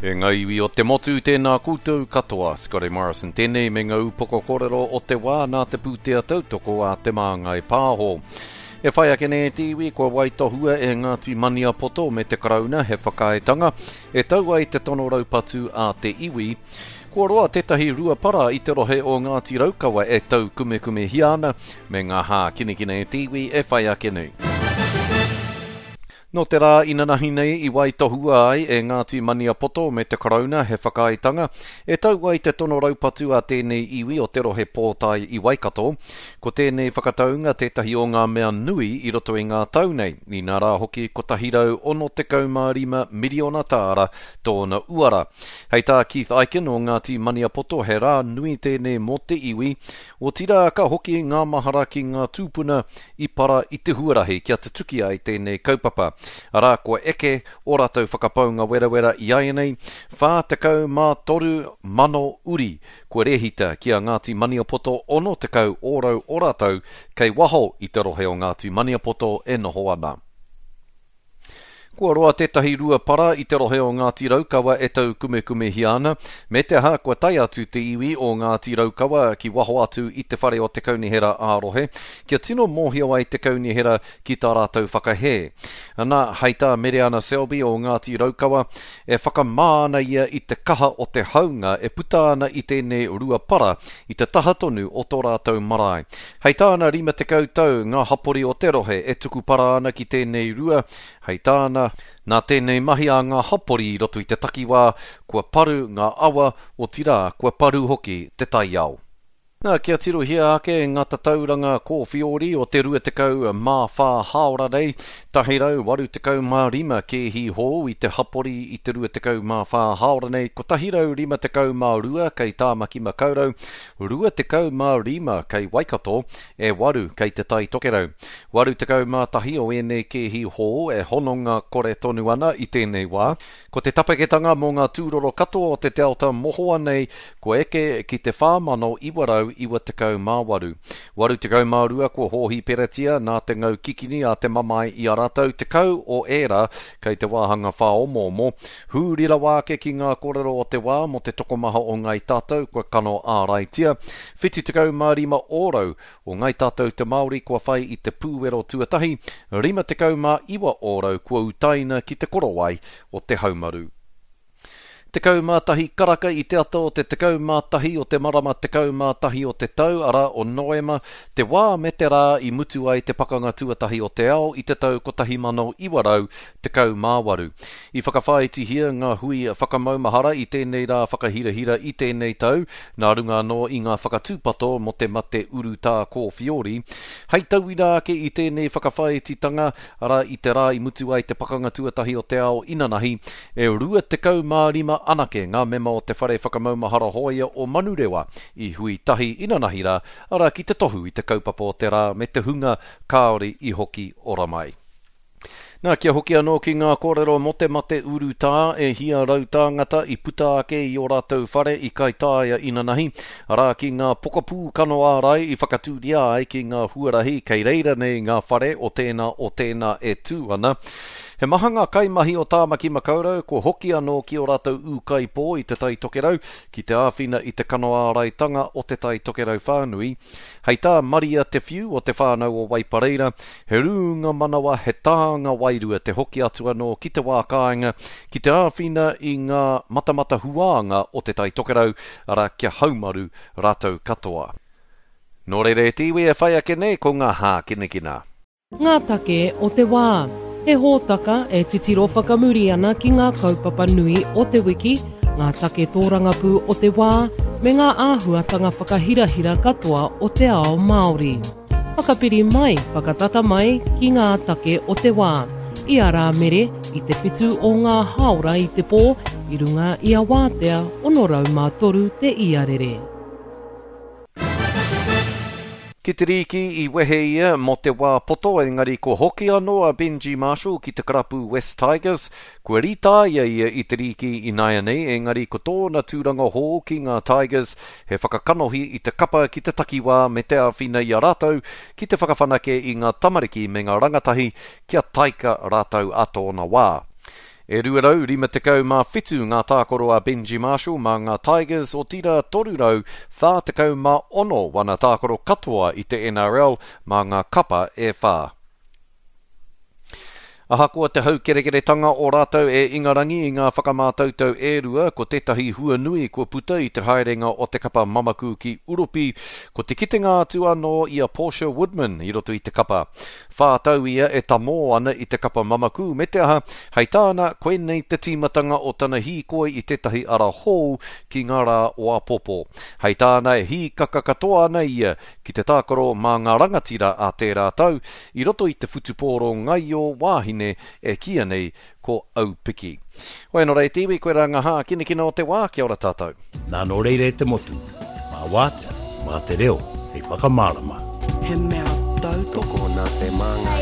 E ngā iwi o te motu, tēnā koutou katoa. Scotty Morrison tēnei me ngā upoko kōrero o te wā nā te pūtea tautoko a Te Māngai Pāho. E whai ake nei te iwi kua waitohua e Ngāti Maniapoto me te Karauna he whakaaetanga e tau ai te tono raupatu a te iwi. Kua roa tētahi ruapara i te rohe o Ngāti Raukawa e taukumekumehia ana me ngā hākinakina e te iwi e whai ake nei. Nō te rā inanahi nei i waitohua ai e Ngāti Maniapoto me te Karauna he whakaaetanga e tau ai te tono raupatu a tēnei iwi o te rohe pōtae i Waikato. Ko tēnei whakataunga tētahi o ngā mea nui i roto i ngā tau nei, inā rā hoki 165 miriona tāra tōna uara. Hei tā Keith Ikin o Ngāti Maniapoto he rā nui tēnei mō te iwi, otirā ka hoki ngā mahara ki ngā tūpuna i para i te huarahi kia tutuki ai tēnei kaupapa. Arā, kua eke ō rātou whakapaunga werawera i āianei, 43,000 uri kua rēhita ki a Ngāti Maniapoto 60 ōrau o rātou kei waho i te rohe o Ngāti Maniapoto e noho ana. Kua roa tētahi ruapara i te rohe o Ngāti Raukawa e taukumekumehia ana, me te aha kua tae atu te iwi o Ngāti Raukawa ki waho atu i te whare o te kaunihera ā-rohe kia tino mōhio ai te kaunihera ki tā rātou whakahē. Ana, hei tā Mereana Selby o Ngāti Raukawa, e whakamā ana ia i te kaha o te haunga e puta ana i tēnei ruapara i te taha tonu o tō rātou marae. Hei tāna 50 tau ngā hapori o te rohe e tuku para ana ki tēnei rua, hei tāna, nā tēnei mahi a ngā hapori i roto i te takiwā, kua paru ngā awa, otirā, kua paru hoki te taiao. Nā, kia tirohia ake ngā tatauranga kōwhiori o te 24 hāora nei, 185 kēhi hou i te hapori i te 24 hāora nei, 152 kei Tāmaki Makaurau, 25 kei Waikato, e waru kei Te Tai Tokerau. 81 o ēnei kēhi hou e hononga kore tonu ana i tēnei wā. Ko te tapeketanga mō ngā tūroro katoa o te Delta mohoa nei kua eke ki te 4,998. 82 kua hōhiperatia nā te ngau kikini a te mamae i a rātou, 10 o ērā kei te wāhanga whāomoomo. Hūri rawa ake ki ngā kōrero o te wā mō te tokomaha o Ngāi Tātou kua kano āraitia, 75 ōrau o Ngāi Tātou te Māori kua whai i te pūwero tuatahi, 59 ōrau kua utaina ki te korowai o te haumaru. 11 karaka i te ata o te 11 o te marama 11 o te tau, arā, o Noema, te wā me te rā i mutu ai te Pakanga Tuatahi o te Ao i te tau 1918. I whakawhāitihia ngā hui whakamaumahara i tēnei rā whakahirahira i tēnei tau, nā runga anō i ngā whakatūpato mō te mate urutā kōwhiori. Hei tauira ake i tēnei whakawhāititanga, arā, i te rā i mutu ai te Pakanga Tuatahi o te Ao inanahi, e 25 anake ngā mema o te Whare Whakamaumahara Hōia o Manurewa i hui tahi inanahi rā, arā, ki te tohu i te kaupapa o te rā me te hunga kāore i hoki ora mai. Nā, kia hoki anō ki ngā kōrero mō te mate urutā, e hia tāngata i puta ake i ō rātou whare i Kaitāia inanahi, arā, ki ngā pokapū kano ārai i whakatūria ai ki ngā huarahi kei reira nei ngā whare o tēnā o tēnā e tū ana. He maha ngā kaimahi o Tāmaki Makaurau kua hoki anō ki ō rātou ūkaipō i Te Tai Tokerau ki te āwhina i te kano āraitanga o Te Tai Tokerau whānui. Hei tā Maria Te Whiu o Te Whānau o Waipareira, he rūnga manawa, he tānga wairua te hoki atu anō ki te wā kāinga, ki te āwhina i ngā matamata huānga o Te Tai Tokerau, arā, kia haumaru rātou katoa. Nō reira e te iwi e whai ake nei ko ngā hākinakina. Ngā take o te wā. He hōtaka e titiro whakamuri ana ki ngā kaupapa nui o te wiki, ngā take tōrangapū o te wā, me ngā āhuatanga whakahirahira katoa o te ao Māori. Whakapiri mai, whakatata mai ki ngā take o te wā. I a Rāmere, i te whitu o ngā hāora i te pō, i runga i a Wātea 603 te iarere. Ki te rīki i wehe ia mō te wā poto engari kua hoki anō a Benji Marshall ki te karapu West Tigers. Kua rītāia ia i te rīki ināianei engari ko tōna tūranga hou ki ngā Tigers he whakakanohi i te kapa ki te takiwā me te āwhina i a rātou ki te whakawhanake i ngā tamariki me ngā rangatahi kia taika rātou a tōna wā. E 257 ngā tākaro a Benji Marshall mā ngā Tigers, otirā 346 wana tākaro katoa i te NRL mā ngā kapa e whā. Ahakoa te haukerekeretanga o rātou e Ingarangi i ngā whakamātautau e rua, ko tētahi hua nui kua puta i te haerenga o te kapa mamaku ki Uropi, ko te kitenga atu anō i a Portia Woodman i roto i te kapa. Whā tau ia e tamō ana i te kapa mamaku me te aha, hei tāna, koinei te tīmatanga o tana hīkoi i tētahi ara hou ki ngā rā o āpōpō. Hei tāna e hīkaka katoa ana ia ki te tākaro mā ngā rangatira a tērā tau i roto i te whutupōro ngaio wāhine e kīia nei ko Aupiki. Hoi anō rā e te iwi, koirā ngā hākinakina o te wā, kia ora tātou. Nā nō reira e te motu, mā wātea, mā te reo hei whakamārama. He mea tautoko nā te māngai.